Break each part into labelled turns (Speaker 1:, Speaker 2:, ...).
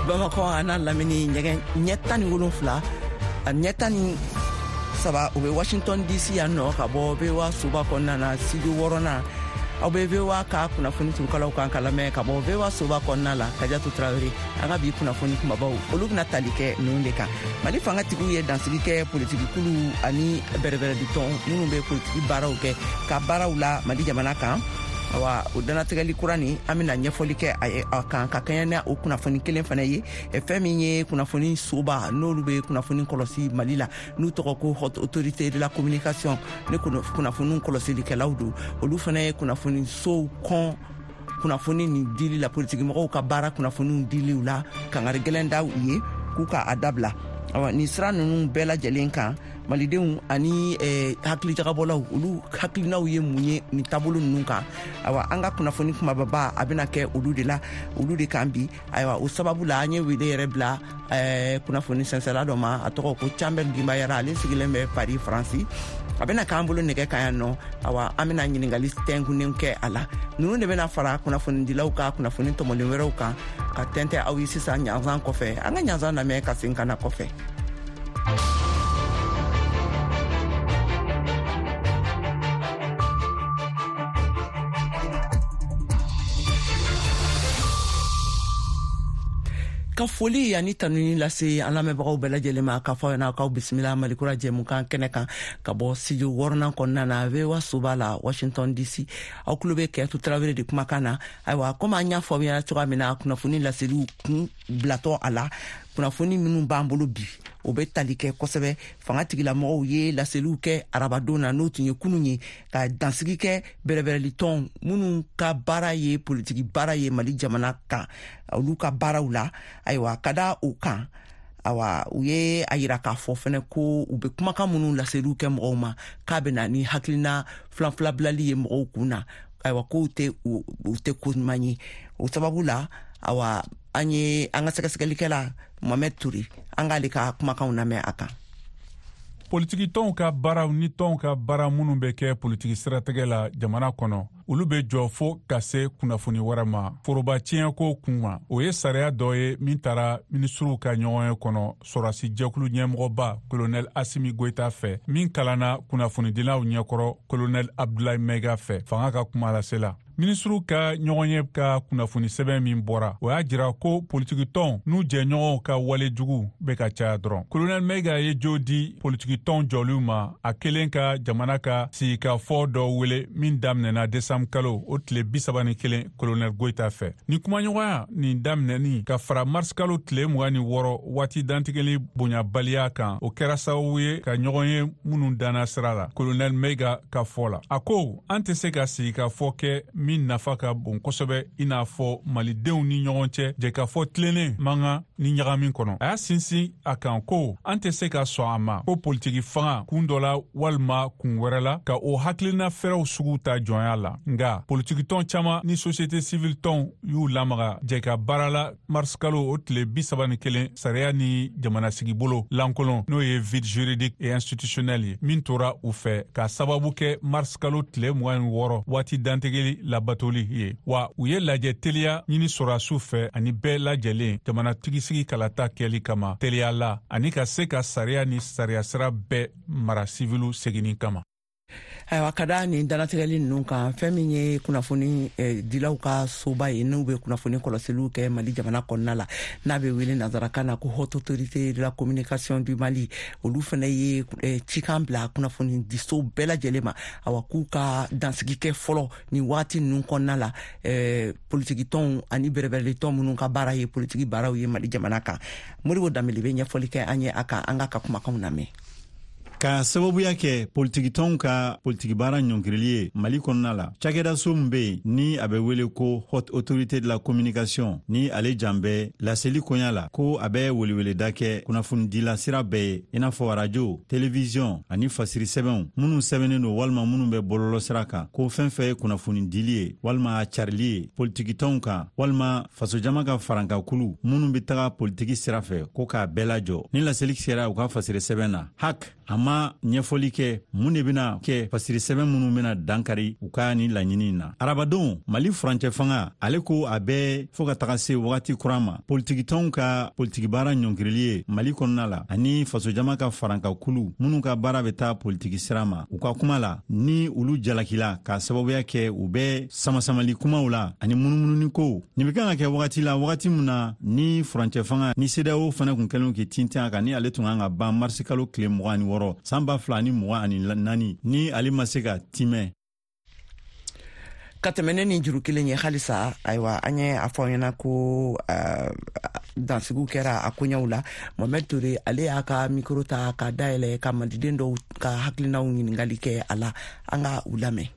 Speaker 1: Bamakɔ a n'a lamini ɲɛgɛn ɲɛ 17 a ɲɛ 13, o bɛ Washington DC yan nɔ, ka bɔ VOA soba kɔnɔna na, studio wɔɔrɔnan. Aw bɛ VOA ka kunnafoni turukalaw kan ka lamɛn ka bɔ VOA soba kɔnɔna la. Kajatu Tarawele. An ka bi kunnafoni kumabaw, olu bɛna tali kɛ ninnu de kan: Mali fangatigiw ye dansigi kɛ politikikulu ani bɛrɛbɛrɛditɔn minnu bɛ politiki baaraw kɛ ka baaraw la Mali jamana kan. Awa, o danatigɛli kura nin, an bɛna ɲɛfɔli kɛ a kan ka kɛɲɛ ni o kunnafoni kelen fana ye. Fɛn min ye kunnafoni soba, n'olu bɛ kunnafoni kɔlɔsi Mali la, n'u tɔgɔ ko Haute Autorité de la Communication, ni kunnafoni kɔlɔsilikɛlaw don, olu fana ye kunnafoni sow kɔn kunnafoni nin dili la, politikimɔgɔw ka baara kunnafoniw diliw la, kangari gɛlɛn da u ye k'u ka a dabila. Awa, nin sira ninnu bɛɛ lajɛlen kan, malidenw ani hakilijagabɔlaw, olu hakilinaw ye mun ye nin taabolo ninnu kan? Awa, an ka kunnafoni kumababa, a bɛna kɛ olu de la, olu de kan bi. Ayiwa, o sababu la, an ye wele yɛrɛ bila kunnafoni sɛnsɛla dɔ ma, a tɔgɔ ko Canbɛl Gimbayara. Ale sigilen bɛ Paris, Faransi. A bɛna k'an bolo nɛgɛ kan yan nɔ. Awa, an bɛna ɲiningali tɛnkunnen kɛ a la. Ninnu de bɛna fara kunnafonidilaw ka kunnafoni tɔmɔlen wɛrɛw kan ka tɛntɛ aw ye sisan ɲanzan kɔfɛ. An ka ɲanzan lamɛn ka segin ka na kɔfɛ. Ka foli ani tanuni lase an lamɛnbagaw bɛɛ lajɛlen ma, k'a fɔ ɲɛna k'aw bisimila Malikura jɛmukan kɛnɛ kan ka bɔ studio wɔɔrɔnan kɔnɔna na, VOA soba la, Washington DC. Aw tulo bɛ Kɛtu Tarawele de kumakan na. Ayiwa, komi an y'a fɔ aw ɲɛna cogoya min na kunnafoni laseliw kun bilatɔ a la, kunnafoni minnu b'an bolo bi, o bɛ tali kɛ kosɛbɛ fanga tigilamɔgɔw ye laseliw kɛ arabadon na, n'o tun ye kunun ye, ka dansigi kɛ bɛrɛbɛrɛlitɔn minnu ka baara ye politiki baara ye Mali jamana kan, olu ka baaraw la. Ayiwa, ka da o kan, awa, u ye a yira k'a fɔ fɛnɛ ko u bɛ kumakan minnu laseliw kɛ mɔgɔw ma, k'a bɛ na ni hakilina filanfila bilali ye mɔgɔw kun na. Ayiwa, k'o tɛ u tɛ ko ɲuman ye. O sababu la, awa, an ye an ka sɛgɛsɛgɛlikɛla Mohamɛd Ture, an k'ale ka kumakanw lamɛn a kan.
Speaker 2: Politikitɔnw ka baaraw ni tɔnw ka baara minnu bɛ kɛ politiki siratigɛ la jamana kɔnɔ, olu bɛ jɔ fo ka se kunnafoni wɛrɛ ma foroba tiɲɛko kun ma. O ye sariya dɔ ye min tara minisiriw ka ɲɔgɔnye kɔnɔ sɔrɔdasi jɛkulu ɲɛmɔgɔba Kolonɛl Asimi Goyita fɛ, min kalanna kunnafonidilaw ɲɛkɔrɔ Kolonɛl Abdulayi Mɛga fɛ, fanga ka kumalasela. Minisiriw ka ɲɔgɔnye ka kunnafoni sɛbɛn min bɔra, o y'a jira ko politikitɔnw n'u jɛɲɔgɔnw ka wale jugu bɛ ka caya dɔrɔn. Kolonɛl Mɛga ye jo di politikitɔn jɔliw ma a kelen ka jamana ka sigikafɔ dɔ wele min daminɛna desanburu kalo o tile 31 Kolonɛl Goyita fɛ. Ni kumaɲɔgɔnya nin daminɛni ka fara marisi kalo tile 26 waati dantigɛli bonyabaliya kan, o kɛra sababu ye ka ɲɔgɔn ye minnu danna sira la. Kolonɛl Mɛga ka fɔ la, a ko an tɛ se ka sigikafɔ kɛ min nafa ka bon kosɛbɛ, i n'a fɔ malidenw ni ɲɔgɔn cɛ jɛkafɔ tilennen man kan ni ɲagami kɔnɔ. A y'a sinsin a kan ko an tɛ se ka sɔn a ma ko politiki fanga kun dɔ la walima kun wɛrɛ la ka o hakilina fɛrɛw sugu ta jɔnya la. Nga politikitɔn caman ni société civile tɔnw y'u lamaga jɛka baara la marisikalo o tile 31 sariya ni jamanasigibolo lankolon, n'o ye vide juridique et institutionnel ye, min tora u fɛ ka sababu kɛ marisikalo tile 26 waati dantigɛli labatoli ye. Wa u ye lajɛ teliya ɲini sɔrɔdasiw fɛ ani bɛɛ lajɛlen jamanatigisigi kalata kɛli kama teliya la, ani ka se ka sariya ni sariya sira bɛɛ mara siviliw seginni kama.
Speaker 1: Ayiwa, ka da nin danatigɛli ninnu kan, fɛn min ye kunnafoni dilaw ka soba ye, n'u bɛ kunnafoni kɔlɔsiliw kɛ Mali jamana kɔnɔna la, n'a bɛ wele nanzarakan na ko Haute Autorité de la Communication du Mali, olu fana ye cikan bila kunnafoni diso bɛɛ lajɛlen ma, awa, k'u ka dansigi kɛ fɔlɔ nin waati ninnu kɔnɔna la politikitɔnw ani bɛrɛbɛrɛlitɔn minnu ka baara ye politiki baaraw ye Mali jamana kan. Modibo Danbele bɛ ɲɛfɔli kɛ an ye a kan. An ka kumakanw lamɛn.
Speaker 3: Ka sababuya kɛ politikitɔnw ka politiki baara ɲɔngirili ye Mali kɔnɔna la, cakɛdaso min be yen ni a bɛ wele ko Haute Autorité de la Communication, ni ale jan bɛ laseli koɲa la, ko a bɛ weleweleda kɛ kunnafonidila sira bɛɛ ye, i n'a fɔ arajo, televiziyɔn ani fasiri sɛbɛnw minnu sɛbɛnnen don walima minnu bɛ bɔlɔlɔ sira kan, ko fɛn fɛn ye kunnafonidili ye walima a carili ye politikitɔnw kan walima fasojama ka farankakulu minnu bɛ taga politiki sira fɛ, ko k'a bɛɛ lajɔ. Ni laseli sera u ka fasiri sɛbɛn na, HAC a ma. ma ɲɛfɔli kɛ mun de bɛna kɛ fasiri sɛbɛn minnu bɛna dankari u ka nin laɲini na. Arabadon, Mali furancɛ fanga ale ko a bɛ fɔɔ ka taga se wagati kura ma, politikitɔnw ka politikibaara ɲɔngirili ye Mali kɔnɔna la ani fasojama ka farankakulu minnu ka baara bɛ taa politiki sira ma. U ka kuma la, ni olu jalakila k'a sababuya kɛ u bɛ samasamali kumaw la ani munumununi kow. Nin bɛ kan ka kɛ wagati la, wagati min na ni furancɛ fanga ni CEDEAO fana kun kɛlen k'i tintin a kan, ni ale tun kan ka ban marisikalo tile 26 san 2024, ni ale ma se ka timɛ.
Speaker 1: Ka tɛmɛ ne ni juru kelen ye halisa. Ayiwa, an ye a fɔ ɲɛna ko dansigiw kɛra a koɲɛw la. Mohamed Toure, ale y'a ka mikro ta ka dayɛlɛ ka maliden dɔw ka hakilinaw ɲininkali kɛ a la. An ka u lamɛn.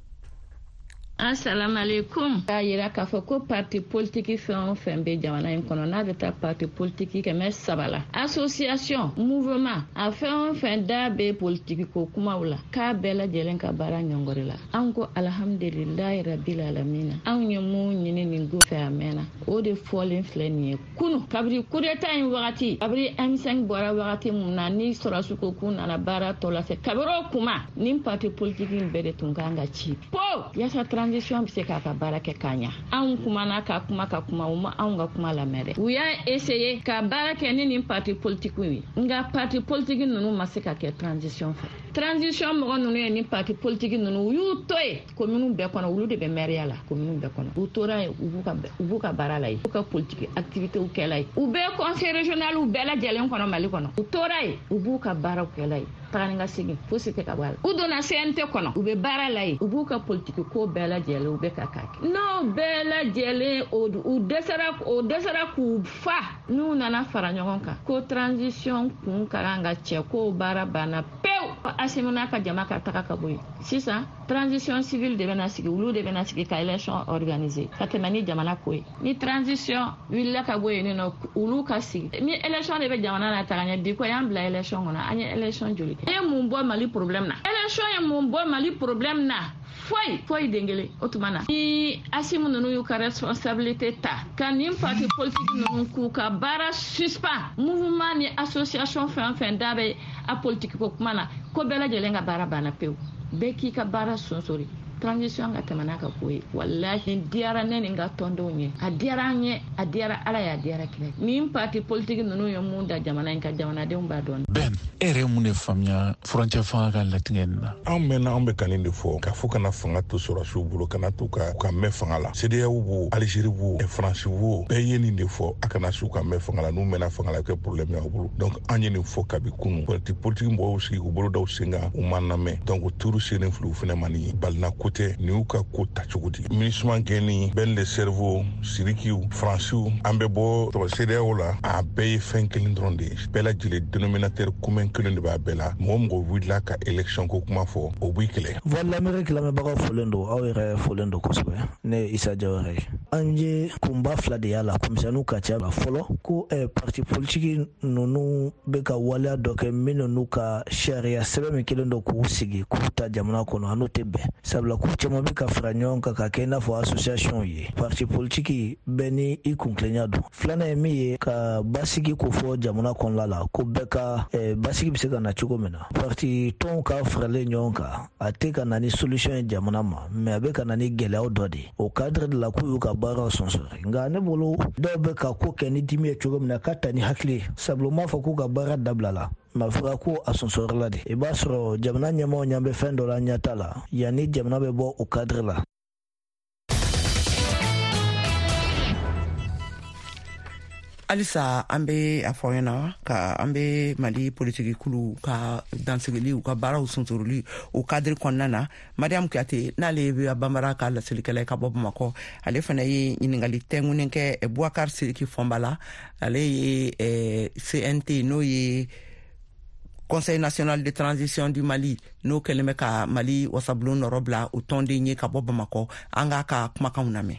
Speaker 4: Assalamu alaikum. K'a yira k'a fɔ ko parti politiki fɛn o fɛn bɛ jamana in kɔnɔ, n'a bɛ taa parti politiki 300 la, association, mouvement, a fɛn o fɛn da bɛ politiki ko kumaw la, k'a bɛɛ lajɛlen ka baara ɲɔngɔri la. An ko alhamdulilayi rabil alamina. Anw ye mun ɲini nin go fɛ a mɛnna, o de fɔlen filɛ nin ye kunu, kabiri coup d'état in wagati, kabiri M5 bɔra wagati mun na, ni sɔrɔsiw ko k'u nana baara tɔ lase, kabiri o kuma nin parti politiki in bɛɛ de tun kan ka ci po yaasa transition bɛ se k'a ka baara kɛ k'a ɲa. Anw kumana ka kuma ka kuma, u ma anw ka kuma lamɛn dɛ. U y'a essayer ka baara kɛ ni nin parti politiki ye, nka parti politiki ninnu ma se ka kɛ transition fɛ. Transition mɔgɔ ninnu ye ni parti politiki ninnu, u y'u to yen commune bɛɛ kɔnɔ, olu de bɛ maire la commune bɛɛ kɔnɔ. U tora yen, u b'u ka baara la yen, u ka politiki activité kɛla yen, u bɛ conseil régional bɛɛ lajɛlen kɔnɔ Mali kɔnɔ. U tora yen, u b'u ka baaraw kɛla yen, taga ni ka segin fosi tɛ ka bɔ a la. U donna CNT kɔnɔ, u bɛ baara la yen, u b'u ka politiki ko bɛɛ lajɛlen, u bɛ ka k'a kɛ. N'o bɛɛ lajɛlen u dɛsɛra, o dɛsɛra k'u fa, n'u nana fara ɲɔgɔn kan ko transition kun ka kan ka cɛ, k'o baara banna pewu, Assimi n'a ka jama ka taga ka bɔ yen. Sisan transition civile de bɛna sigi, olu de bɛna sigi ka élection organiser ka tɛmɛ ni jamana ko ye. Ni transition wulila ka bɔ yen nɔ, olu ka sigi ni élection de bɛ jamana na taga ɲɛ. Bi ko y'an bila élection kɔnɔ, an ye élection joli kɛ? E ye mun bɔ Mali problème na? Élection ye mun bɔ Mali problème na? Foyi, foyi den kelen. O tuma na, ni Assimi ninnu y'u ka responsabilité ta ka nin parti politique ninnu k'u ka baara suspend, mouvement ni association fɛn o fɛn da bɛ a politique ko kuma na, ko bɛɛ lajɛlen ka baara banna pewu, bɛɛ k'i ka baara sonsori, transition ka tɛmɛ n'a ka ko ye. Walahi, nin diyara ne ni n ka tɔndenw ye, a diyara an ye, a diyara Ala ye, a diyara kira. Nin parti politique ninnu ye mun da jamana in ka, jamanadenw b'a dɔn.
Speaker 5: Ben, e yɛrɛ ye mun de faamuya furancɛ fanga ka latigɛ nin na?
Speaker 6: Anw mɛnna, anw bɛ ka nin de fɔ k'a fɔ kana fanga to sɔrɔsiw bolo, kana to ka mɛn fanga la. CEDEAO b'o, Algérie b'o, Faransi b'o, bɛɛ ye nin de fɔ: a kana s'u ka mɛn fanga la. N'u mɛnna fanga la, a bɛ kɛ problème y'aw bolo. Donc an ye nin fɔ kabi kunu. Politique mɔgɔw sigi k'u bolo da u sen kan, u ma lamɛn. Donc turu sennen filɛ, u fɛnɛ ma. Nin ye balina ko tɛ, nin y'u ka ko ta cogo di. MINUSMA gɛnni, Ben le Cerveau, Sirikiw, Faransiw, an bɛ bɔ tɔgɔ CEDEAO la, a bɛɛ ye fɛn kelen dɔrɔn de ye. Bɛɛ lajɛlen dénominateur commun kelen de b'a bɛɛ la. Mɔgɔ mɔgɔ wulila ka élection ko kuma fɔ, o b'i kɛlɛ.
Speaker 7: Voix de l'Amérique lamɛnbagaw folen don, aw yɛrɛ folen don kosɛbɛ. Ne ye Isa Jawara ye. An ye kunba fila de y'a la, komisɛnninw ka ca la. Fɔlɔ ko parti politiki ninnu bɛ ka waleya dɔ kɛ minnu n'u ka sariya sɛbɛn min kelen don k'u sigi k'u ta jamana kɔnɔ, a n'o tɛ bɛn, sabula k'u caman bɛ ka fara ɲɔgɔn kan ka kɛ i n'a fɔ association ye. Parti politiki bɛɛ ni i kuntilenya don. Filanan ye min ye, ka basigi ko fɔ jamana kɔnɔna la, ko bɛɛ ka basigi bɛ se ka na cogo min na. Parti tɔnw ka faralen ɲɔgɔn kan, a tɛ ka na ni solution ye jamana ma, mais a bɛ ka na ni gɛlɛyaw dɔ de ye. O cadre de la, k'u y'u ka baaraw sɔnsɔrɔ. Nka ne bolo, dɔw bɛ ka ko kɛ ni dimi ye cogo min na, ka ta ni hakili ye, sabula u m'a fɔ k'u ka baara dabila la, ma fɔra ko a sɔnsɔrɔla de. I b'a sɔrɔ jamana ɲɛmaaw ɲɛ bɛ fɛn dɔ la ɲɛta la, yanni jamana bɛ bɔ o cadre la.
Speaker 1: Halisa an be a fɔ ɲɛna ka an be Mali politiki kulu ka dansigili, u ka baaraw sunsuruli o cadre kɔnɔna na. Mariam Kuyate, n'ale ye Banbara ka laselikɛla ye ka bɔ Bamakɔ, ale fana ye ɲiningali tɛngunen kɛ Boubacar Sidiki Fɔnba la. Ale ye CNT, n'o ye Conseil national de transition du Mali, n'o kɛlen bɛ ka Mali wasabulon nɔrɔ bila, o tɔnden ye ka bɔ Bamakɔ. An k'a ka kumakanw lamɛn.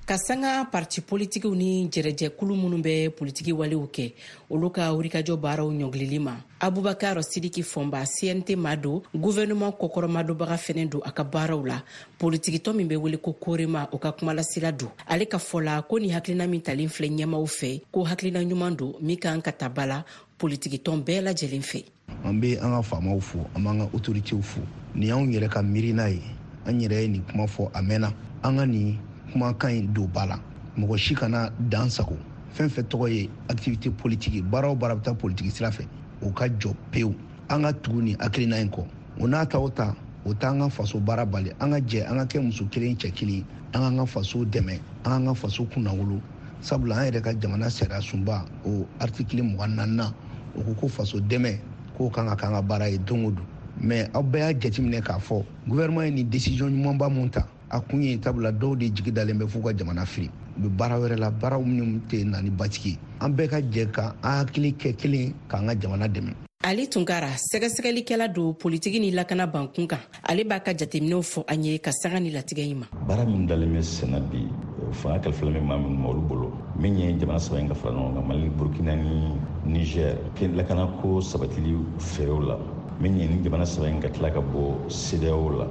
Speaker 8: Ka sanga parti politikiw ni jɛrɛjɛkulu minnu bɛ politiki walew kɛ, olu ka wulikajɔ baaraw ɲɔngilili ma, Abubakar Sidiki Fɔnba, CNT ma don, gouvernement kɔkɔrɔmadonbaga fɛnɛ don a ka baaraw la, politikitɔn min bɛ wele ko Korema, o ka kumalasila don. Ale ka fɔ la ko ni hakilina min talen filɛ ɲɛmaw fɛ, ko hakilina ɲuman don min kan ka ta ba la. politikitɔn bɛɛ lajɛlen fɛ.
Speaker 9: An bɛ an ka faamaw fo, an b'an ka autoritéw fo. Nin y'anw yɛrɛ ka miirina ye, an yɛrɛ ye nin kuma fɔ a mɛnna. An ka nin kumakan in don ba la, mɔgɔ si kana dan sago. Fɛn fɛn tɔgɔ ye activité politique, baara o baara bɛ taa politique sira fɛ, o ka jɔ pewu. An ka tugu nin hakilina in kɔ. O n'a ta o ta, o t'an ka faso baara bali. An ka jɛ, an ka kɛ muso kelen cɛ kelen, an k'an ka faso dɛmɛ, an k'an ka faso kunnawolo. Sabula an yɛrɛ ka jamana sariya sunba o article 24nan, o ko ko faso dɛmɛ k'o kan ka k'an ka baara ye don o don. Mais aw bɛɛ y'a jateminɛ k'a fɔ gouvernement ye nin décision ɲumanba mun ta, a kun ye tabula dɔw de jigi dalen bɛ f'u ka jamana firi, u bɛ baara wɛrɛ la, baaraw minnu tɛ na ni basigi ye. An bɛɛ ka jɛ ka an hakili kɛ kelen k'an ka jamana dɛmɛ.
Speaker 8: Ali Tunkara, sɛgɛsɛgɛlikɛla don politiki ni lakana bankun kan, ale b'a ka jateminɛw fɔ an ye ka sanga ni latigɛ in ma.
Speaker 10: Baara min dalen bɛ senna bi, fanga kalifalen bɛ maa minnu ma olu bolo, min ye jamana saba in ka fara ɲɔgɔn kan, Mali, Burkina ni Niger, lakanako sabatili fɛɛrɛw la, min ye ni jamana saba in ka tila ka bɔ CEDEAO la,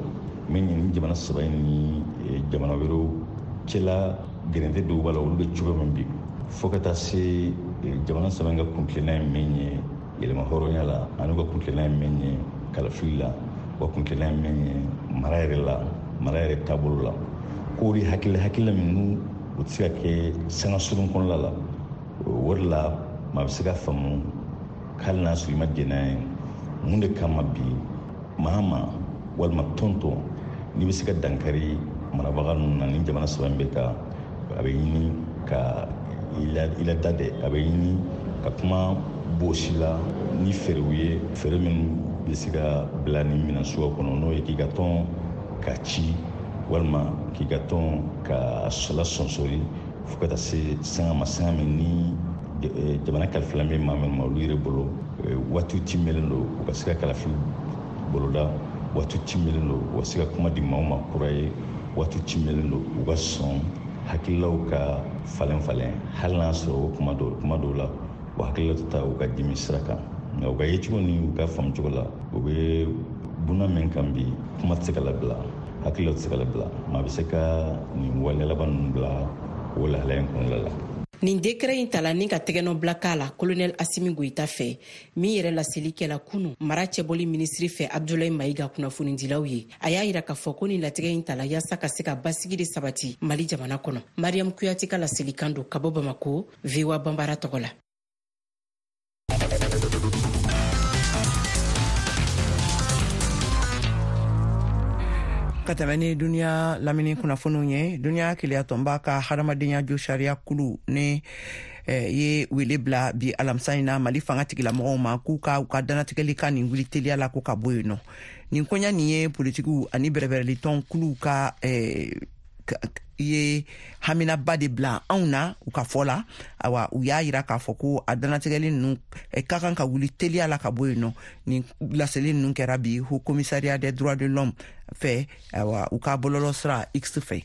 Speaker 10: min ye ni jamana saba in ni jamana wɛrɛw cɛla gɛrɛntɛ dɔw b'a la, olu bɛ cogo min bi, fo ka taa se jamana saba in ka kuntilenna ye min ye yɛlɛma hɔrɔnya la, ani u ka kuntilenna ye min ye kalafili la, u ka kuntilenna ye min ye mara yɛrɛ la, mara yɛrɛ taabolo la. K'o de hakilila minnu u tɛ se ka kɛ sanga surun kɔnɔna la. O de la maa bɛ se ka faamu hali n'a sɔrɔ i ma jɛn n'a ye, mun de kama bi maa ma walima tɔn n'i bɛ se ka dankari marabaga ninnu na, ni jamana saba in bɛ ka a bɛ ɲini ka i lada dɛ, a bɛ ɲini ka kuma bosi la ni fɛɛrɛw ye, fɛɛrɛ minnu bɛ se ka bila nin minɛn suguya kɔnɔ, n'o ye k'i ka tɔn ka ci walima k'i ka tɔn ka lasɔnsɔri fo ka taa se sanga ma, sanga min ni jamana kalifalen bɛ maa minnu ma olu yɛrɛ bolo, waatiw timɛlen don u ka se ka kalafili boloda, waatiw timɛlen don u ka se ka kuma di maaw ma kura ye, waatiw timɛlen don u ka sɔn hakililaw ka falen falen, hali n'a sɔrɔ o kuma dɔw la o hakilila tɛ taa u ka dimi sira kan, nka u ka yecogo ni u ka faamucogo la, u bɛ buna min kan bi, kuma tɛ se ka labila, hakilila tɛ se ka labila, maa bɛ se ka nin waleya laban ninnu bila o lahalaya in kɔnɔna la.
Speaker 8: Nin décret in tala ni ka tɛgɛnɔ k'a la colonel Assimi Goïta fɛ, min yɛrɛ laseli kɛla kunu mara cɛbɔli minisiri fɛ Abdoulaye Maïga kunnafonidilaw ye. A y'a yira k'a fɔ ko nin latigɛ in tala yaasa ka se ka basigi de sabati Mali jamana kɔnɔ. Mariam Kuyate ka laselikan don ka bɔ Bamako, VOA Banbara tɔgɔ la.
Speaker 1: Ka tɛmɛ ni duniya lamini kunnafoniw ye, duniya keleyatɔnba ka hadamadenya jo sariya kulu ni ye wele bila bi alamisa in na Mali fanga tigilamɔgɔw ma k'u ka u ka dannatigɛli ka nin wuli teliya la ko ka bɔ yen nɔ. Nin koɲa nin ye politikiw ani bɛrɛbɛrɛlitɔn kuluw ka ye haminaba de bila anw na u ka fɔ la. Awa, u y'a yira k'a fɔ ko a dannatigɛli ninnu ka kan ka wuli teliya la ka bɔ yen nɔ. Nin laseli ninnu kɛra bi Haut Commissariat des droits de l'homme fɛ, awa, u ka bɔlɔlɔ sira X fɛ.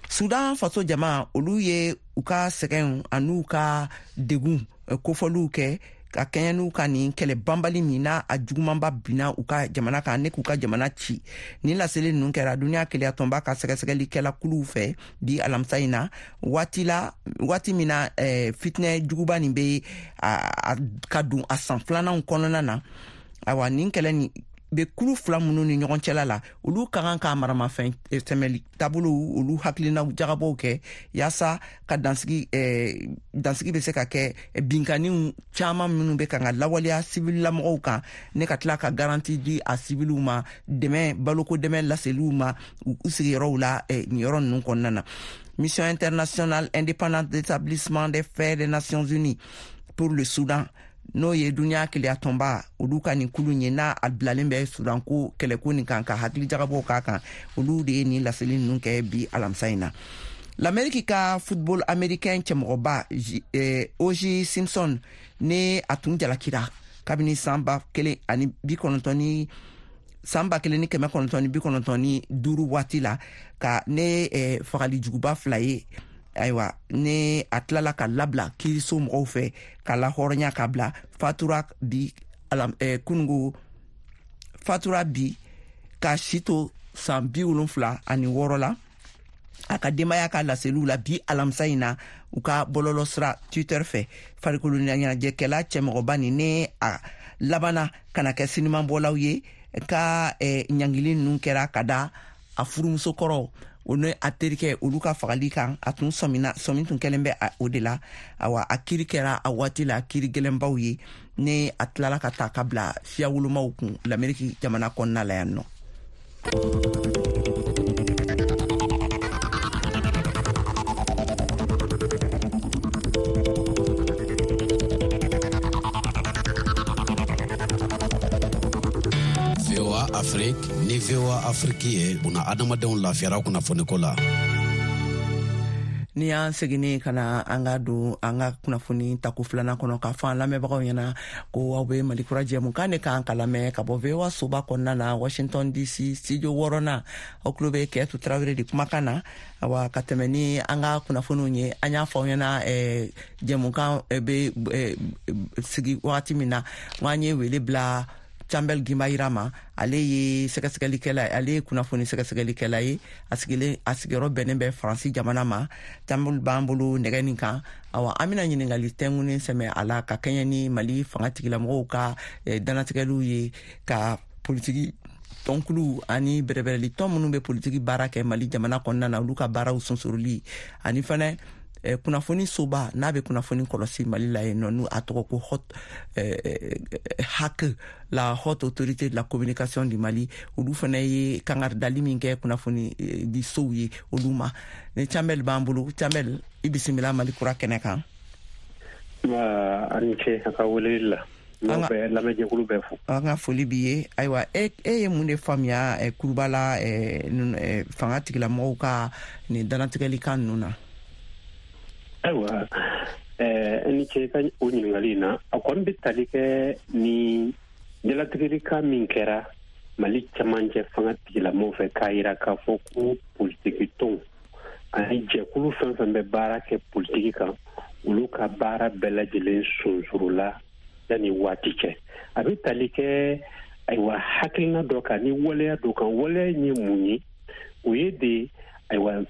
Speaker 1: Sudan faso jama, olu ye u ka sɛgɛnw an'u ka degun kofɔliw kɛ ka kɛɲɛ n'u ka nin kɛlɛ banbali min n'a a jugumanba binna u ka jamana kan ne k'u ka jamana ci. Nin laseli ninnu kɛra duniya keleyatɔnba ka sɛgɛsɛgɛlikɛla kuluw fɛ bi alamisa in na, waati la waati min na fitinɛ juguba nin bɛ ka don a san filananw kɔnɔna na. Awa, nin kɛlɛ nin bɛ kulu fila minnu ni ɲɔgɔn cɛla la, olu ka kan ka maramafɛn sɛmɛli taabolow olu hakilinaw jagabɔw kɛ yaasa ka dansigi bɛ se ka kɛ binkanniw caman minnu bɛ kan ka lawaleya sivilamɔgɔw kan, ne ka tila ka garanti di a siviliw ma, dɛmɛ baloko dɛmɛ laseliw ma u sigiyɔrɔw la nin yɔrɔ ninnu kɔnɔna na. Mission internationale indépendante d'établissement des faits des Nations Unies pour le Soudan, n'o ye duniya keleyatɔnba olu ka nin kulu ye, n'a a bilalen bɛ Sudan ko kɛlɛko nin kan ka hakili jagabɔw k'a kan, olu de ye nin laseli ninnu kɛ bi alamisa in na. L'Amérique ka football américain cɛmɔgɔba O.J. Simpson ne a tun jalakira kabini san 1995 waati la ka ne fagali juguba fila ye. Ayiwa, ne a tilala ka labila kiiriso mɔgɔw fɛ ka lahɔrɔnya ka bila, fatura bi kunungo fatura bi ka si to san 76 la. A ka denbaya ka laseliw la bi alamisa in na u ka bɔlɔlɔ sira Twitter fɛ, farikolo ɲɛnajɛkɛla cɛmɔgɔba nin ne a labanna ka na kɛ sinimanbɔlaw ye ka ɲangili ninnu kɛra ka da a furumuso kɔrɔ o ni a terikɛ olu ka fagali kan. A tun sɔmina, sɔmi tun kɛlen bɛ o de la. Awa, a kiri kɛra a waati la kiri gɛlɛnbaw ye ne a tilala ka ta ka bila siya wolomaw kun Lameriki jamana kɔnɔna la yan nɔ.
Speaker 11: VOA Afrique ni VOA Afrique ye buna adamadenw lafiyara kunnafoniko la.
Speaker 1: Ni y'an seginni ka na an ka don an ka kunnafoni tako filanan kɔnɔ, k'a fɔ an lamɛnbagaw ɲɛna ko aw bɛ Mali Kura jɛmukan de kan ka lamɛn ka bɔ VOA soba kɔnɔna na, Washington DC studio wɔɔrɔnan. Aw tulo bɛ Kɛtu Tarawele de kumakan na. Awa, ka tɛmɛ ni an ka kunnafoniw ye, an y'a fɔ aw ɲɛna jɛmukan bɛ sigi wagati min na, n an ye wele bila Cambel Gimbayira ma. Ale ye sɛgɛsɛgɛlikɛla, ale ye kunnafoni sɛgɛsɛgɛlikɛla ye. A sigilen, a sigiyɔrɔ bɛnnen bɛ Faransi jamana ma. Cambel b'an bolo nɛgɛ nin kan. Awa, an bɛna ɲininkali tɛnkunnen sɛmɛ a la ka kɛɲɛ ni Mali fanga tigilamɔgɔw ka dannatigɛliw ye ka politiki tɔnkulu ani bɛrɛbɛrɛli tɔn minnu bɛ politiki baara kɛ Mali jamana kɔnɔna na, olu ka baaraw sonsoroli, ani fɛnɛ kunnafoni soba n'a bɛ kunnafoni kɔlɔsi Mali la yen nɔ, n'u a tɔgɔ ko hot HAC, la Haute Autorité de la Communication du Mali, olu fana ye kangaridali min kɛ kunnafoni di sow ye olu ma. Ni Cambel b'an bolo. Cambel, i bisimila Mali Kura kɛnɛ kan.
Speaker 12: A ni ce a ka weleli la. Lamɛnjɛkulu bɛɛ fo.
Speaker 1: An ka foli b'i ye. Ayiwa, e ye mun de faamuya kuruba la fanga tigilamɔgɔw ka nin dannatigɛli kan ninnu na?
Speaker 12: Ayiwa, ni ce ka o ɲininkali in na. A kɔni bɛ tali kɛ ni jalatigɛli min kɛra Mali camancɛ fanga tigilamɔgɔw fɛ, k'a yira k'a fɔ ko politiki tɔnw ani jɛkulu fɛn fɛn bɛ baara kɛ politiki kan, olu ka baara bɛɛ lajɛlen sonsorola yanni waati cɛ. A bɛ tali kɛ, ayiwa, hakilina dɔ kan ni waleya dɔ kan. Waleya in ye mun ye? O ye de, ayiwa,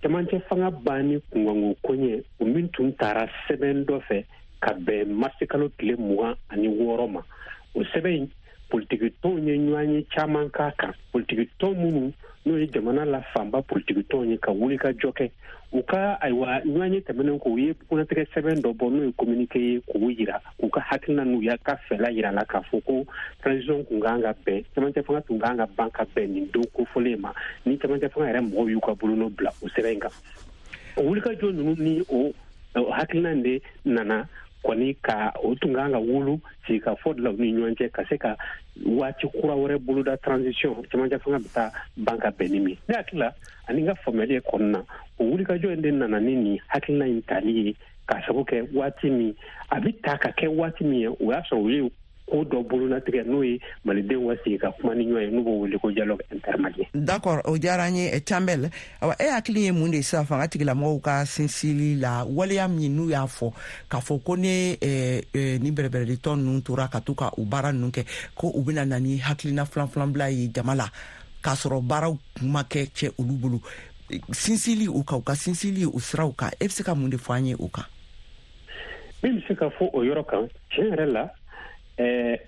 Speaker 12: camancɛ fanga banni kunkanko koɲɛ o min tun taara sɛbɛn dɔ fɛ ka bɛn marisikalo tile 26 ma. O sɛbɛn in, politiki tɔnw ye ɲɔgɔn ye caman k'a kan. Politiki tɔn minnu n'o ye jamana la fanba politiki tɔnw ye, ka wuli ka jɔ kɛ u ka, ayiwa, ɲɔgɔn ye tɛmɛnen kɔ, u ye kunatigɛ sɛbɛn dɔ bɔ n'o ye communiqué ye, k'u yira k'u ka hakilina n'u y'a ka fɛla yira la k'a fɔ ko transition kun kan ka bɛn, camancɛ fanga tun kan ka ban ka bɛn nin don kofɔlen ma, ni camancɛ fanga yɛrɛ mɔgɔw y'u ka bolonɔ bila o sɛbɛn in kan. O wulikajɔ ninnu ni o hakilina in de nana kɔni ka o tun kan ka wolo sigikafɔ de la u ni ɲɔgɔn cɛ, ka se ka waati kura wɛrɛ boloda transition camancɛ fanga bɛ taa ban ka bɛn ni min. Ne hakili la ani n ka faamuyali ye kɔnɔna, o wulikajɔ in de nana ni nin hakilina in tali ye, k'a sabu kɛ waati min a bɛ ta ka kɛ waati min ye, o y'a sɔrɔ u ye ko dɔ bolonatigɛ, n'o ye malidenw ka sigi ka kuma ni ɲɔgɔn ye, n'u b'o wele ko dialogue intermalien.
Speaker 1: D'accord, o diyara n ye, Cambel. Awa, e hakili ye mun de sisan fanga tigilamɔgɔw ka sinsili la, waleya min n'u y'a fɔ k'a fɔ ko ne ni bɛrɛbɛrɛli tɔn ninnu tora ka to ka u baara ninnu kɛ, ko u bɛna na ni hakilina filan-filanbila ye jama la, k'a sɔrɔ baaraw ma kɛ cɛ olu bolo, sinsili u kan, u ka sinsili o siraw kan, e bɛ se ka mun de fɔ an ye o kan?
Speaker 12: Min bɛ se ka fɔ o yɔrɔ kan, tiɲɛ yɛrɛ la,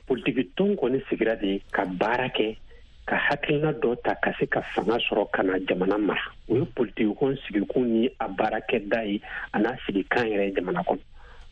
Speaker 12: politiki tɔn kɔni sigira de ka baara kɛ, ka hakilina dɔ ta ka se ka fanga sɔrɔ ka na jamana mara. O ye politiki tɔn sigikun ni a baarakɛda ye, a n'a sigikan yɛrɛ jamana kɔnɔ.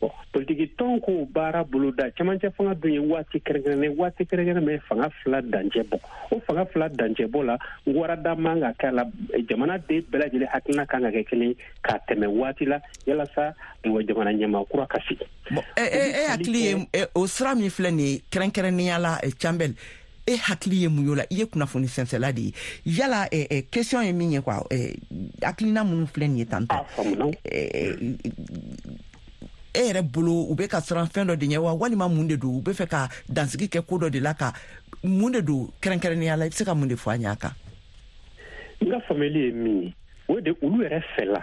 Speaker 12: Bon, politiki tɔn k'o baara boloda, camancɛ fanga dun ye waati kɛrɛnkɛrɛnnen, waati kɛrɛnkɛrɛn bɛ fanga fila dancɛ bɔ. O fanga fila dancɛ bɔ la, warada man ka kɛ a la. Jamana den bɛɛ lajɛlen hakilina kan ka kɛ kelen k'a tɛmɛ waati la, yalasa ayiwa jamana ɲɛmaa kura ka sigi.
Speaker 1: Bon, e hakili ye o sira min filɛ nin ye kɛrɛnkɛrɛnnenya la, Cambel, e hakili ye mun ye o la? I ye kunnafoni sɛnsɛla de ye. Yala question ye min ye quoi, hakilina minnu filɛ nin ye tantɔ, e yɛrɛ bolo u bɛ ka siran fɛn dɔ de ɲɛ wa, walima mun de don? U bɛ fɛ ka dansigi kɛ ko dɔ de la, ka mun de don kɛrɛnkɛrɛnnenya la? I bɛ se ka mun de fɔ an ɲ'a kan?
Speaker 12: N ka faamuyali ye min ye, o de olu yɛrɛ fɛla,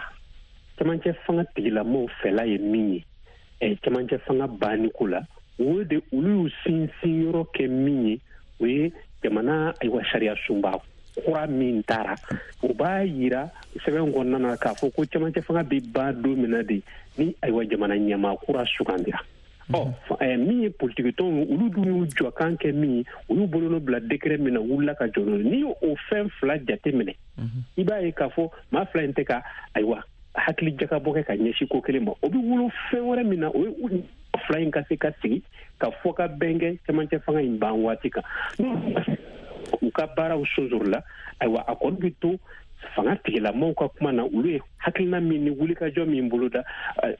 Speaker 12: camancɛ fanga tigilamɔgɔw fɛla ye min ye camancɛ fanga banni ko la, o de olu y'u sinsin yɔrɔ kɛ min ye, o ye jamana, ayiwa, sariya sunba kura min taara, o b'a yira sɛbɛn kɔnɔna na k'a fɔ ko cɛmancɛ fanga bɛ ban don min na de, ni ayiwa jamana ɲɛmaa kura sugandira. Ɔ, min ye politikitɔnw, olu dun y'u jɔkan kɛ min ye, u y'u bolonɔ bila décret min na, wulila ka jɔ n'o ye. N'i y'o fɛn fila jate minɛ, i b'a ye k'a fɔ maa fila in tɛ ka ayiwa hakili jagabɔ kɛ ka ɲɛsin ko kelen ma. O bɛ wolo fɛn wɛrɛ min na, o ye fila in ka se ka sigi ka fɔ ka bɛn kɛ cɛmancɛ fanga in ban waati kan, u ka baaraw sonsori la. Ayiwa, a kɔni bɛ to fanga tigilamɔgɔw ka kuma na, olu ye hakilina min ni wulikajɔ min boloda,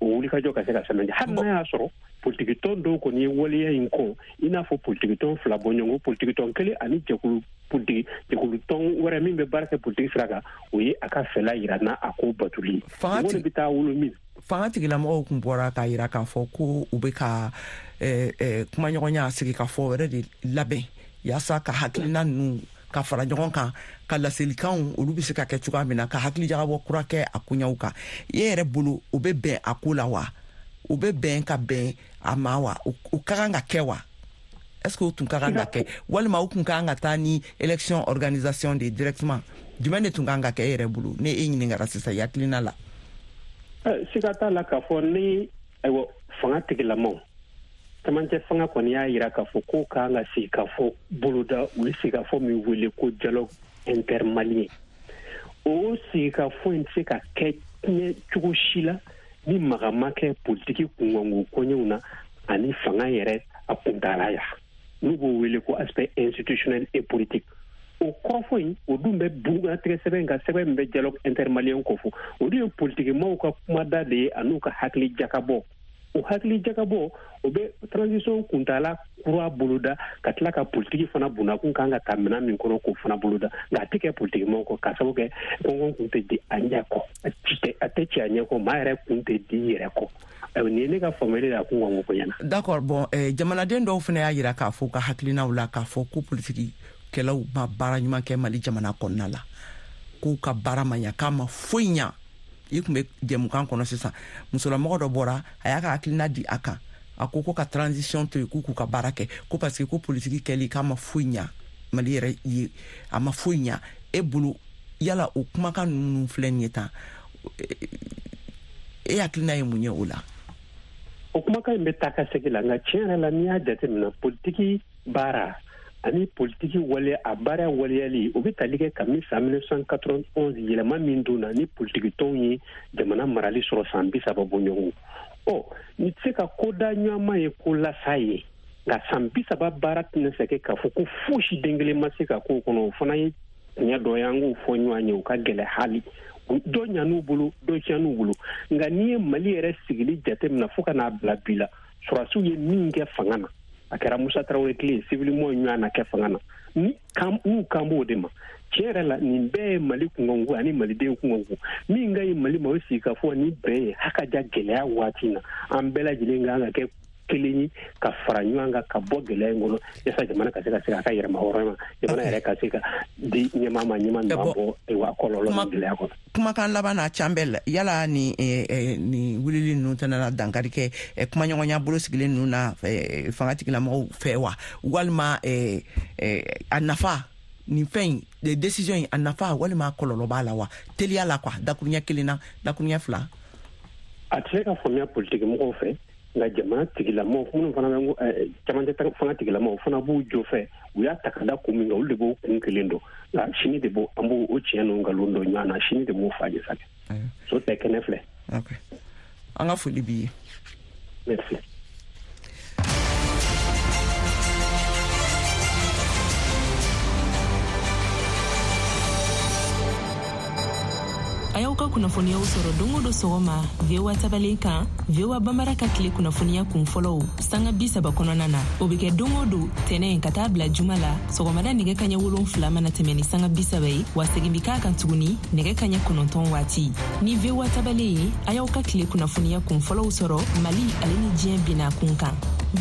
Speaker 12: o wulikajɔ ka se ka sɛmɛntiya, hali n'a y'a sɔrɔ politikitɔn dɔw kɔni ye waleya in kɔn, i n'a fɔ politikitɔn fila bɔɲɔgɔnko, politikitɔn kelen ani jɛkulu politiki jɛkulutɔn wɛrɛ min bɛ baara kɛ politiki sira kan, o ye a ka fɛla yira n'a a ko batuli
Speaker 1: Fanga
Speaker 12: o de bɛ taa wolo min.
Speaker 1: Fanga tigilamɔgɔw kun bɔra k'a yira k'a fɔ ko u bɛ ka kumaɲɔgɔnya sigi ka fɔ wɛrɛ de labɛn yaasa ka hakilina ninnu ka fara ɲɔgɔn kan, ka laselikanw olu bɛ se ka kɛ cogoya min na, ka hakilijagabɔ kura kɛ a koɲɛw kan. E yɛrɛ bolo, o bɛ bɛn a ko la wa? O bɛ bɛn ka bɛn a ma wa? O ka kan ka kɛ wa? Est ce que o tun ka kan ka kɛ, walima o tun ka kan ka taa ni élection organisation de directement? Jumɛn de tun ka kan ka kɛ e yɛrɛ bolo, ne e ɲininkara sisan i hakilina la?
Speaker 12: Siga t'a la k'a fɔ ni ayiwa fanga tigilamaw, cɛmancɛ fanga kɔni y'a yira k'a fɔ ko kan ka sigi ka fɔ boloda, u ye sigikafɔ min wele ko dialogue intermalien. O sigikafɔ in tɛ se ka kɛ tiɲɛ cogo si la ni maga ma kɛ politiki kunkanko koɲɛw na ani fanga yɛrɛ a kuntaala ya, n'u b'o wele ko aspect institutionnel et politique. O kɔrɔfɔ in, o dun bɛ bugunnatigɛ sɛbɛn ka sɛbɛn min bɛ dialogue intermalien kofɔ, o dun ye politikimaw ka kumada de ye an'u ka hakili jakabɔ. O hakili jakabɔ, o bɛ transition kuntaala kura boloda, ka tila ka politiki fana bunakun kan ka ta minɛn min kɔnɔ, k'o fana boloda. Nka a tɛ kɛ politikimaw kɔ, k'a sababu kɛ kɔngɔn kun tɛ di a ɲɛ kɔ, a tɛ ci a ɲɛ kɔ, maa yɛrɛ kun tɛ di i yɛrɛ kɔ. Ayiwa, nin ye ne ka faamuyali ye a kun kan ko ɲɛna.
Speaker 1: D'accord. Bon, jamanaden dɔw fana y'a yira k'a fɔ u ka hakilinaw la k'a fɔ ko politiki kɛlaw ma baara ɲuman kɛ Mali jamana kɔnɔna la, k'u ka baara ma ɲa, k'a ma foyi ɲa. I tun bɛ jɛmukan kɔnɔ sisan, musolamɔgɔ dɔ bɔra, a y'a ka hakilina di a kan. A ko ko ka transition to yen, k'u k'u ka baara kɛ, ko parce que ko politiki kɛli k'a ma foyi ɲa Mali yɛrɛ ye, a ma foyi ɲa. E bolo, yala o kumakan ninnu filɛ nin ye tan, e hakilina ye mun ye o la?
Speaker 12: O kumakan in bɛ taa ka segin la, nka tiɲɛ yɛrɛ la, n'i y'a jateminɛ, politiki baara ani politiki wale, a baara waleyali, o bɛ tali kɛ kabini san 1991 yɛlɛma min donna ni politiki tɔnw ye jamana marali sɔrɔ san 30 bɔɲɔgɔn. Ɔ, ni tɛ se ka ko da ɲɔgɔnma ye ko lasa ye, nka san 30 baara tɛna se kɛ k'a fɔ ko fosi den kelen ma se ka k'o kɔnɔ. O fana ye tiɲɛ dɔ ye, an k'o fɔ ɲɔgɔn ye, o ka gɛlɛ. Hali dɔ ɲan'u bolo, dɔ tiɲɛn'u bolo. Nka n'i ye Mali yɛrɛ sigili jateminɛ fo ka n'a bila bi la, sɔrɔdasiw ye min kɛ fanga na, a kɛra Musa Tarawele tile, civilement ɲɔgɔn na kɛ fanga na, ni n'u kan b'o de ma. Tiɲɛ yɛrɛ la, nin bɛɛ ye Mali kunkanko ani Maliden kunkanko. Min ka ɲi Mali ma, o sigi ka fɔ ni bɛn ye, haka ja gɛlɛya waati na, an bɛɛ lajɛlen kan ka kɛ kelen ye ka fara ɲɔgɔn kan ka bɔ gɛlɛya in kɔnɔ, yasa jamana ka se ka segin a ka yɛrɛma hɔrɔnya ma, jamana yɛrɛ ka se ka di ɲɛmaa ma, ɲɛmaa min b'a bɔ ayiwa kɔlɔlɔ ni gɛlɛya kɔnɔ.
Speaker 1: Kumakan laban na, Campbell, yala ni wulili ninnu tɛna dankari kɛ kumaɲɔgɔnya bolo sigilen ninnu na fanga tigilamɔgɔw fɛ wa, walima a nafa, nin fɛn in décision in, a nafa walima a kɔlɔlɔ b'a la wa, teliya la quoi, dakuruɲɛ kelen na, dakuruɲɛ 2?
Speaker 12: A tɛ se ka faamuya politiki mɔgɔw fɛ, nka jamana tigilamɔgɔw minnu fana bɛ camancɛ fanga tigilamɔgɔw fana b'u jɔ fɛ. U y'a ta ka da kun min kan, olu de b'o kun kelen dɔn. Nka sini de b'o, an b'o o tiɲɛ n'o nkalon dɔn ɲɔgɔn na, sini de b'o fa ɲɛ sa. So tɛ kɛnɛ filɛ.
Speaker 1: An ka foli b'i ye.
Speaker 12: Merci.
Speaker 13: A y'aw ka kunnafoniyaw sɔrɔ don o don sɔgɔma VOA tabalen kan, VOA Bambara ka tile kunnafoniya kun fɔlɔw sanga 30 kɔnɔna na. O bɛ kɛ don o don tɛnɛ ka taa bila juma la, sɔgɔmada nɛgɛ kaɲɛ 7 mana tɛmɛ ni sanga 30 ye, wa segin bɛ k'a kan tuguni nɛgɛ kaɲɛ 9 waati. Ni VOA tabalen ye, a y'aw ka tile kunnafoniya kun fɔlɔw sɔrɔ Mali ale ni diɲɛ bina kun kan.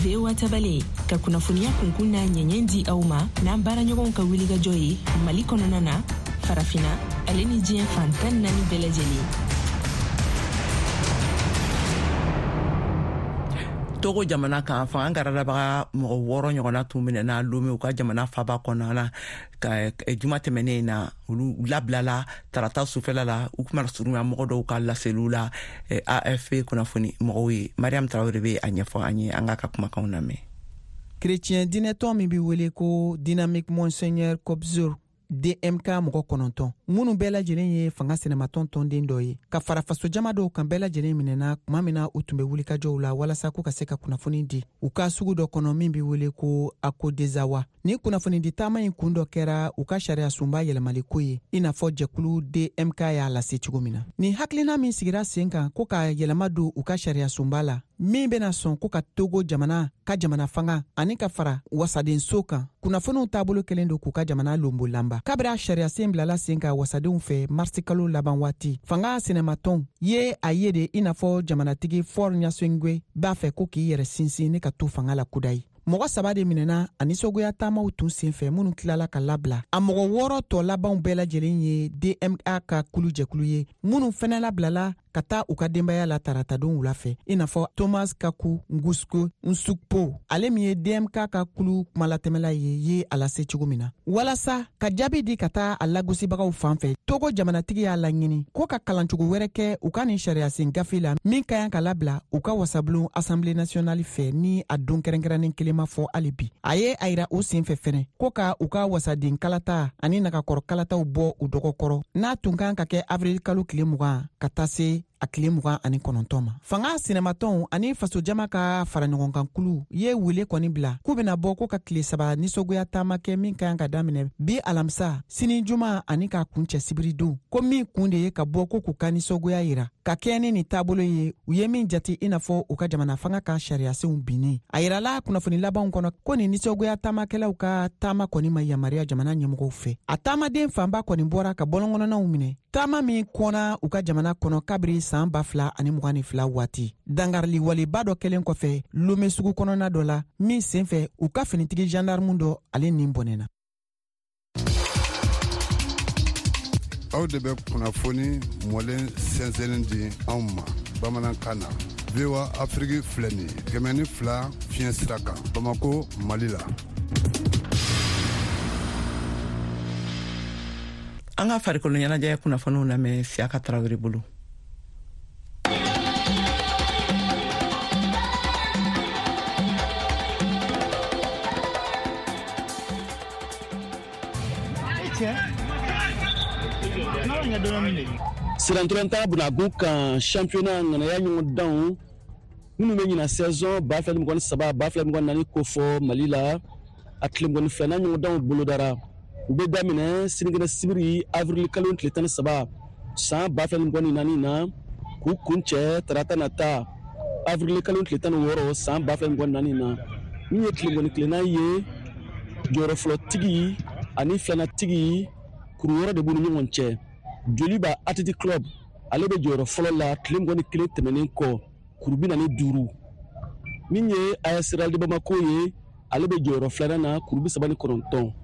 Speaker 13: VOA tabalen ka kunnafoniya kunkun n'a ɲɛɲɛ di aw ma n'an baaraɲɔgɔnw ka wulikajɔ ye Mali kɔnɔna na, Farafina ale ni diɲɛ fan 14 bɛɛ lajɛlen.
Speaker 1: Togo jamana kan, fanga garadabaga mɔgɔ 6 ɲɔgɔnna tun minɛna Lome, u ka jamana faba kɔnɔna na, ka juma tɛmɛnen na. Olu labilala tarata sufɛla la, u kuma surunya mɔgɔ dɔw ka laseliw la AFP kunnafoni mɔgɔw ye. Mariam Traoré bɛ a ɲɛfɔ an ye, an k'a ka kumakanw lamɛn.
Speaker 14: Chrétien diinɛtɔn min bɛ wele ko Dynamique Monseigneur Kobzor DMK mɔgɔ 9, minnu bɛɛ lajɛlen ye fanga sinamatɔn tɔnden dɔ ye, ka fara fasojama dɔw kan, bɛɛ lajɛlen minɛna tuma min na u tun bɛ wulikajɔw la walasa k'u ka se ka kunnafoni di u ka sugu dɔ kɔnɔ min bɛ wele ko Akodezawa. Ni kunnafonidi taama in kun dɔ kɛra u ka sariya sunba yɛlɛmaliko ye, i n'a fɔ jɛkulu DMK y'a lase cogo min na. Nin hakilina min sigira sen kan ko ka yɛlɛma don u ka sariya sunba la, min bɛna sɔn ko ka Togo jamana ka jamana fanga ani ka fara wasadenso kan, kunnafoniw taabolo kɛlen don k'u ka jamana lonbolanba. Kabiri a sariyasen bilala sen kan wasadenw fɛ marisi kalo laban waati, fanga sinamatɔnw ye a ye de i n'a fɔ jamanatigi Faure Gnassingbé b'a fɛ ko k'i yɛrɛ sinsin ni ka to fanga la kudayi. Mɔgɔ 3 de minɛna a nisɔngoya taamaw tun senfɛ, minnu tilala ka labila. A mɔgɔ 6 tɔ labanw bɛɛ lajɛlen ye DMA ka kulu jɛkulu ye, minnu fɛnɛ labilala ka taa u ka denbaya la taratadon wula fɛ, i n'a fɔ Thomas Kaku Ngusko Nsukpo, ale min ye DMK ka kulu kumalatɛmɛla ye a lase cogo min na. Walasa ka jaabi di ka taa a lagosibagaw fan fɛ, Togo jamanatigi y'a laɲini ko ka kalancogo wɛrɛ kɛ u ka nin sariyasen gafe la min ka kan ka labila u ka wasabulon Assemblée nationale fɛ, ni a don kɛrɛnkɛrɛnnen kelen ma fɔ hali bi. A ye a yira o sen fɛ fɛnɛ ko ka u ka wasaden kalata ani nagakɔrɔ kalataw bɔ u dɔgɔkɔrɔ, n'a tun kan ka kɛ avril kalo tile 20 ka taa se a tile 29 ma. Fanga sinamatɔnw ani fasojama ka fara ɲɔgɔnkankulu ye wele kɔni bila k'u bɛna bɔ ko ka tile 3 nisɔngoya taama kɛ min ka kan ka daminɛ bi alamisa, sini juma ani k'a kuncɛ sibiridon, ko min kun de ye ka bɔ ko k'u ka nisɔngoya yira ka kɛɲɛ ni nin taabolo ye, u ye min jate i n'a fɔ u ka jamana fanga ka sariyasenw binni. A yirala kunnafoni labanw kɔnɔ ko nin nisɔngoya taamakɛlaw ka taama kɔni ma yamaruya jamana ɲɛmɔgɔw fɛ. A taamaden fanba kɔni bɔra ka bɔlɔnkɔnɔnaw minɛ, taama min kɔnna u ka jamana kɔnɔ kabiri san 2022 waati, dangarili waleba dɔ kɛlen kɔfɛ Lome sugu kɔnɔna dɔ la, min senfɛ u ka finitigi gendarme dɔ ale nin bɔnɛna.
Speaker 15: Aw de bɛ kunnafoni mɔlen sɛnsɛnnen di anw ma bamanankan na. VOA Afrique filɛ nin ye 102 fiɲɛ sira kan Bamako, Mali la.
Speaker 1: An ka farikolo ɲɛnajɛ kunnafoniw lamɛn Siyaka Tarawele bolo.
Speaker 16: Sirantolatan bunagun kan championnat ŋanaya ɲɔgɔndanw minnu bɛ ɲina saison 2023 2024 kofɔ Mali la, a tile 22nan ɲɔgɔndanw bolodara. U bɛ daminɛ sinikɛnɛ sibiri avril kalo tile 13 san 2024 na, k'u kuncɛ tarata nata avril kalo tile 16 san 2024 na. Min ye tile 21nan ye, jɔyɔrɔ fɔlɔtigi ani filanatigi kuru 6 de b'u ni ɲɔgɔn cɛ. Joliba Athletic Club ale bɛ jɔyɔrɔ fɔlɔ la tile 21 tɛmɛnen kɔ, kuru 45. Min ye AS Real de Bamako ye, ale bɛ jɔyɔrɔ filanan na, kuru 39.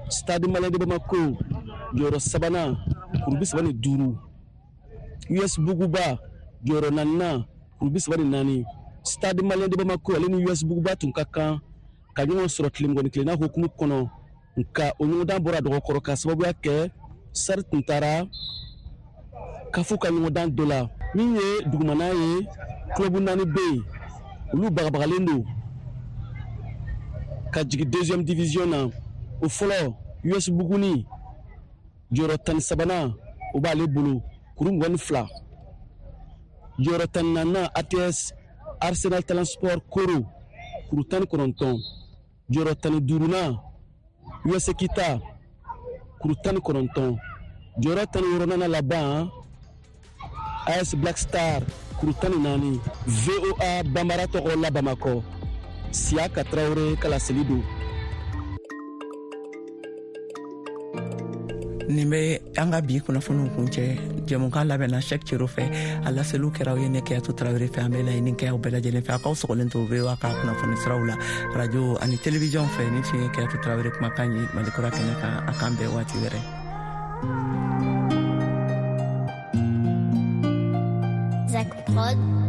Speaker 16: Stade Malien de Bamako jɔyɔrɔ sabanan, kuru 35. US Buguba jɔyɔrɔ naaninan, kuru 34. Stade Malien de Bamako ale ni US Buguba tun ka kan ka ɲɔgɔn sɔrɔ tile 21nan hukumu kɔnɔ, nka o ɲɔgɔndan bɔra dɔgɔkɔrɔ ka sababuya kɛ sari tun taara kafu ka ɲɔgɔndan dɔ la. Min ye dugumana ye, club 4 bɛ yen, olu bagabagalen don ka jigin 2e division na. O fɔlɔ US Buguni jɔyɔrɔ 13nan o b'ale bolo, kuru 22. Jɔyɔrɔ 14nan ATS Arsenal Talent Sport Koro, kuru 19. Jɔyɔrɔ 15nan US Kita, kuru 19. Jɔyɔrɔ 16nan laban AS Black Star, kuru 14. VOA Bambara tɔgɔ la Bamakɔ, Siyaka Tarawele ka laseli don.
Speaker 1: Nin bɛ an ka bi kunnafoniw kuncɛ. Jɛmukan labɛnna Cheick Cero fɛ, a laseliw kɛra aw ye ne Keyatu Tarawele fɛ. An bɛ laɲini kɛ aw bɛɛ lajɛlen fɛ, a k'aw sɔgɔlen to VOA ka kunnafoni siraw la, radio ani télévision fɛ. Nin tun ye Keyatu Tarawele kumakan ye Mali kura kɛnɛ kan. A k'an bɛn waati wɛrɛ.
Speaker 17: Zach Prod.